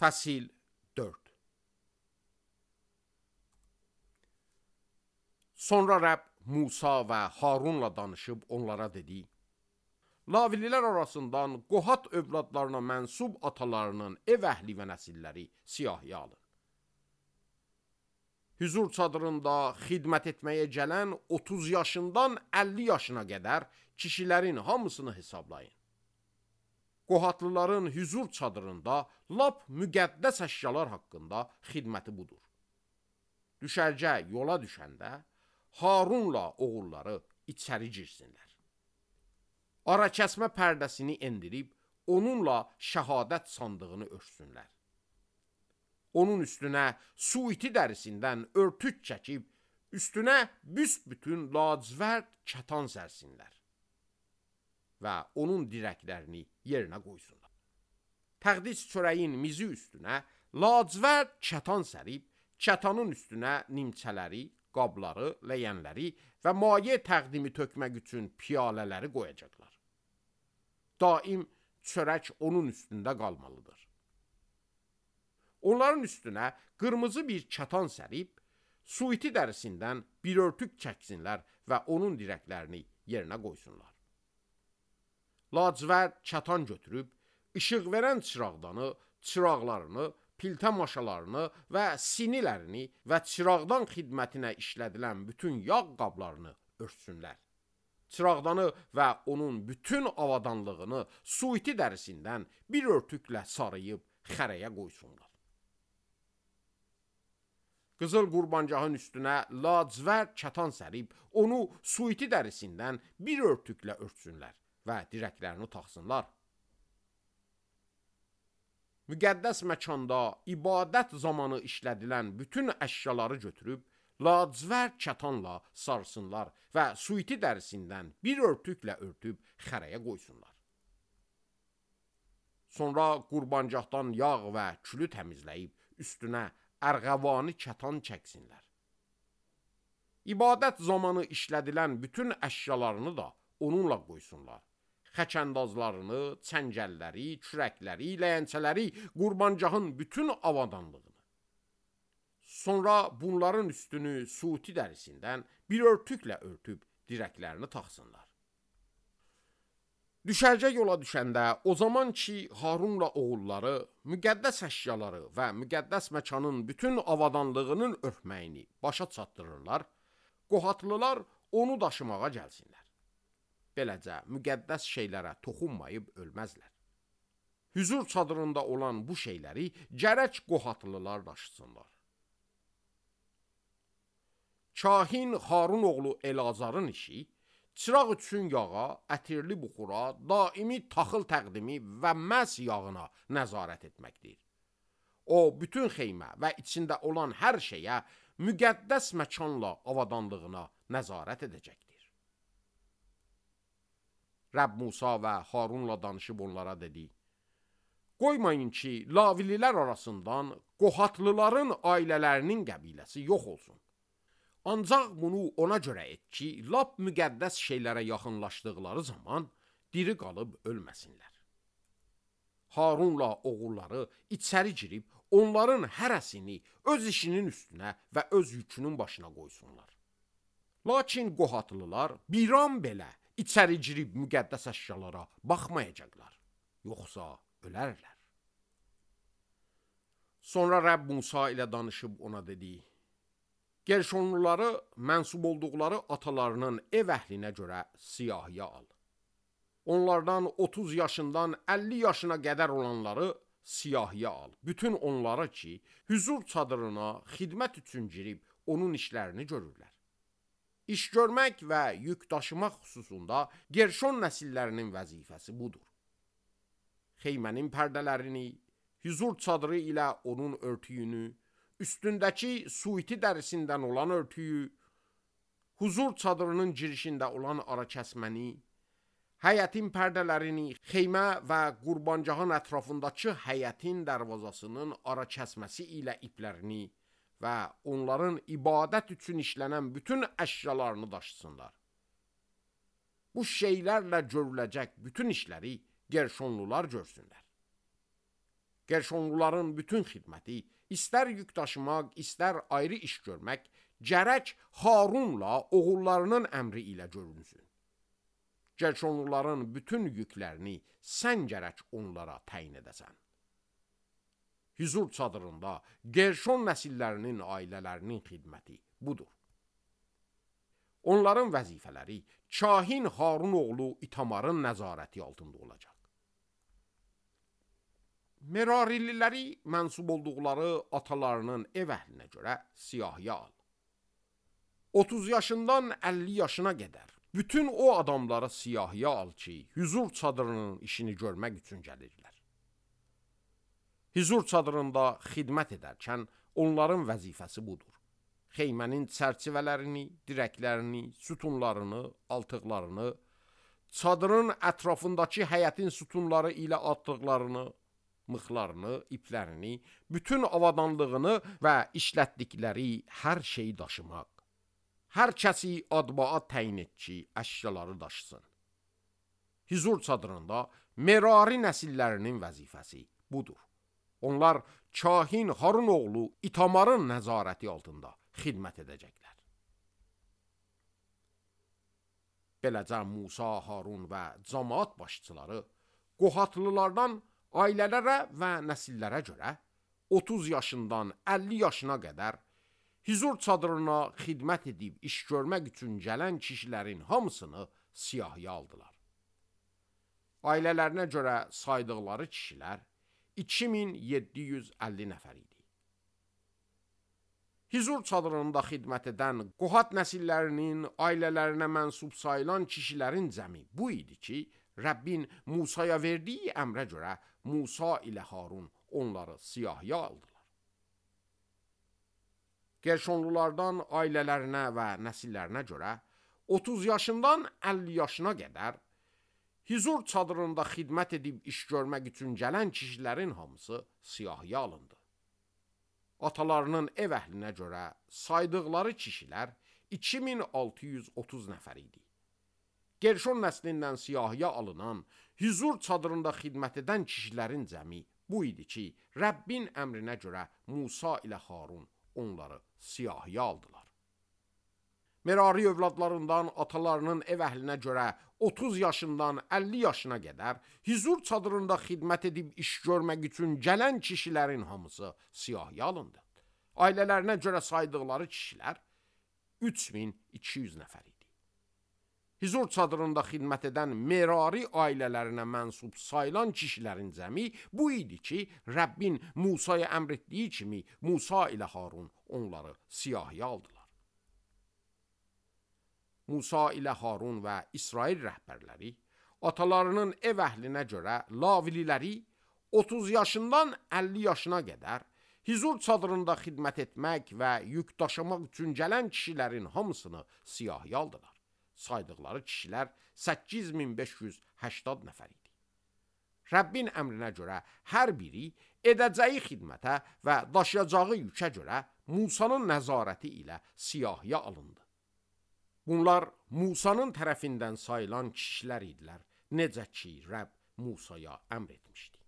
Fəsil 4. Sonra Rəbb Musa və Harunla danışıb onlara dedi: Lavililər arasından Qohat övladlarına mənsub atalarının ev əhli və nəsilləri siyahıya alın. Hüzur çadırında xidmət etməyə gələn 30 yaşından 50 yaşına qədər kişilərin hamısını hesablayın. Qohatlıların hüzur çadırında lap müqəddəs əşyalar haqqında xidməti budur. Düşərgə yola düşəndə Harunla oğulları içəri girsinlər. Arakəsmə pərdəsini endirib onunla şəhadət sandığını örtsünlər. Onun üstünə suiti dərisindən örtük çəkib, üstünə büsbütün lacivərd kətan sərsinlər və onun dirəklərini yerinə qoysunlar. Təqdis çörəyin mizi üstünə lacivərd kətan sərib, kətanın üstünə nimçələri, qabları, ləyənləri və maye təqdimi tökmək üçün piyalələri qoyacaqlar. Daim çörək onun üstündə qalmalıdır. Onların üstünə qırmızı bir kətan sərib, suiti dərisindən bir örtük çəksinlər və onun dirəklərini yerinə qoysunlar. Lacivərd kətan götürüb, işıq verən çıraqdanı, çıraqlarını, piltə maşalarını və sinilərini və çıraqdan xidmətinə işlədilən bütün yağ qablarını örtsünlər. Çıraqdanı və onun bütün avadanlığını suiti dərisindən bir örtüklə sarıyıb xərəyə qoysunlar. Qızıl qurbancağın üstünə lacivərd kətan sərib, onu suiti dərisindən bir örtüklə örtsünlər və dirəklərini taxsınlar. Müqəddəs məkanda ibadət zamanı işlədilən bütün əşyaları götürüb, lacivərd kətanla sarsınlar və suiti dərisindən bir örtüklə örtüb xərəyə qoysunlar. Sonra qurbancaqdan yağ və külü təmizləyib, üstünə ərğəvani kətan çəksinlər. İbadət zamanı işlədilən bütün əşyalarını da onunla qoysunlar. Xəkəndazlarını, çəngəlləri, kürəkləri, ləyəncələri, qurbancağın bütün avadanlığını. Sonra bunların üstünü suiti dərisindən bir örtüklə örtüb dirəklərini taxsınlar. Düşərgə yola düşəndə o zaman ki Harunla oğulları müqəddəs əşyaları və müqəddəs məkanın bütün avadanlığının örtməyini başa çatdırırlar, Qohatlılar onu daşımağa gəlsinlər. Beləcə müqəddəs şeylərə toxunmayıb ölməzlər. Hüzur çadırında olan bu şeyləri gərək Qohatlılar daşısınlar. Kahin Harun oğlu Elazarın işi, çıraq üçün yağa, ətirli buxura, daimi taxıl təqdimi və məs yağına nəzarət etməkdir. O, bütün xeymə və içində olan hər şeyə müqəddəs məkanla avadanlığına nəzarət edəcəkdir. Rəbb Musa və Harunla danışıb onlara dedi: Qoymayın ki, Lavililər arasından Qohatlıların ailələrinin qəbiləsi yox olsun. Ancaq bunu ona görə et ki, lap müqəddəs şeylərə yaxınlaşdıqları zaman diri qalıb ölməsinlər. Harunla oğulları içəri girib, onların hərəsini öz işinin üstünə və öz yükünün başına qoysunlar. Lakin Qohatlılar bir an belə içəri girib müqəddəs əşyalara baxmayacaqlar, yoxsa ölərlər. Sonra Rəbb Musa ilə danışıb ona dedi: Gerşonluları mənsub olduqları atalarının ev əhlinə görə siyahıya al. Onlardan 30 yaşından 50 yaşına qədər olanları siyahıya al. Bütün onlara ki, hüzur çadırına xidmət üçün girib onun işlərini görürlər. İş görmək və yük daşımaq xüsusunda Gerşon nəsillərinin vəzifəsi budur. Xeymənin pərdələrini, hüzur çadırı ilə onun örtüyünü, üstündəki suiti dərisindən olan örtüyü, huzur çadırının girişində olan arakəsməni, həyətin pərdələrini, xeymə və qurbancağın ətrafındakı həyətin dərvazasının arakəsməsi ilə iplərini və onların ibadət üçün işlənən bütün əşyalarını daşısınlar. Bu şeylərlə görüləcək bütün işləri Gerşonlular görsünlər. Gerşonluların bütün xidməti, istər yük daşımaq, istər ayrı iş görmək, gərək Harunla oğullarının əmri ilə görünsün. Gerşonluların bütün yüklərini sən gərək onlara təyin edəsən. Hüzur çadırında Gerşon nəsillərinin ailələrinin xidməti budur. Onların vəzifələri kahin Harun oğlu İtamarın nəzarəti altında olacaq. Merarililəri mənsub olduqları atalarının ev əhlinə görə siyahıya al. 30 yaşından 50 yaşına qədər bütün o adamları siyahıya al ki, hüzur çadırının işini görmək üçün gəlirlər. Hüzur çadırında xidmət edərkən onların vəzifəsi budur. Xeymənin çərçivələrini, dirəklərini, sütunlarını, altıqlarını, çadırın ətrafındakı həyətin sütunları ilə atdıqlarını, mıxlarını, iplərini, bütün avadanlığını və işlətdikləri hər şeyi daşımaq. Hər kəsi adbağa təyin et ki, əşyaları daşısın. Hüzur çadırında Merari nəsillərinin vəzifəsi budur. Onlar kahin Harun oğlu İtamarın nəzarəti altında xidmət edəcəklər. Beləcə Musa, Harun və cəmaət başçıları Qohatlılardan ailələrə və nəsillərə görə 30 yaşından 50 yaşına qədər hüzur çadırına xidmət edib iş görmək üçün gələn kişilərin hamısını siyahıya aldılar. Ailələrinə görə saydıqları kişilər 2750 nəfər idi. Hüzur çadırında xidmət edən Qohat nəsillərinin ailələrinə mənsub sayılan kişilərin cəmi bu idi ki, Rəbbin Musaya verdiyi əmrə görə Musa ilə Harun onları siyahıya aldılar. Gerşonlulardan ailələrinə və nəsillərinə görə 30 yaşından 50 yaşına qədər hüzur çadırında xidmət edib iş görmək üçün gələn kişilərin hamısı siyahıya alındı. Atalarının ev əhlinə görə saydıqları kişilər 2630 nəfər idi. Gerşon nəslindən siyahıya alınan, hüzur çadırında xidmət edən kişilərin cəmi bu idi ki, Rəbbin əmrinə görə Musa ilə Harun onları siyahıya aldılar. Merari övladlarından atalarının ev əhlinə görə 30 yaşından 50 yaşına qədər hüzur çadırında xidmət edib iş görmək üçün gələn kişilərin hamısı siyahıya alındı. Ailələrinə görə saydıqları kişilər 3200 nəfər idi. Hüzur çadırında xidmət edən Merari ailələrinə mənsub sayılan kişilərin cəmi bu idi ki, Rəbbin Musaya əmr etdiyi kimi Musa ilə Harun onları siyahıya aldılar. Musa ilə Harun və İsrail rəhbərləri atalarının ev əhlinə görə lavililəri 30 yaşından 50 yaşına qədər hüzur çadırında xidmət etmək və yük daşımaq üçün gələn kişilərin hamısını siyahıya aldılar. Saydıqları kişilər 8580 nəfər idi. Rəbbin əmrinə görə hər biri edəcəyi xidmətə və daşıyacağı yükə görə Musanın nəzarəti ilə siyahıya alındı. Bunlar Musanın tərəfindən sayılan kişilər idilər, necə ki, Rəbb Musaya əmr etmişdi.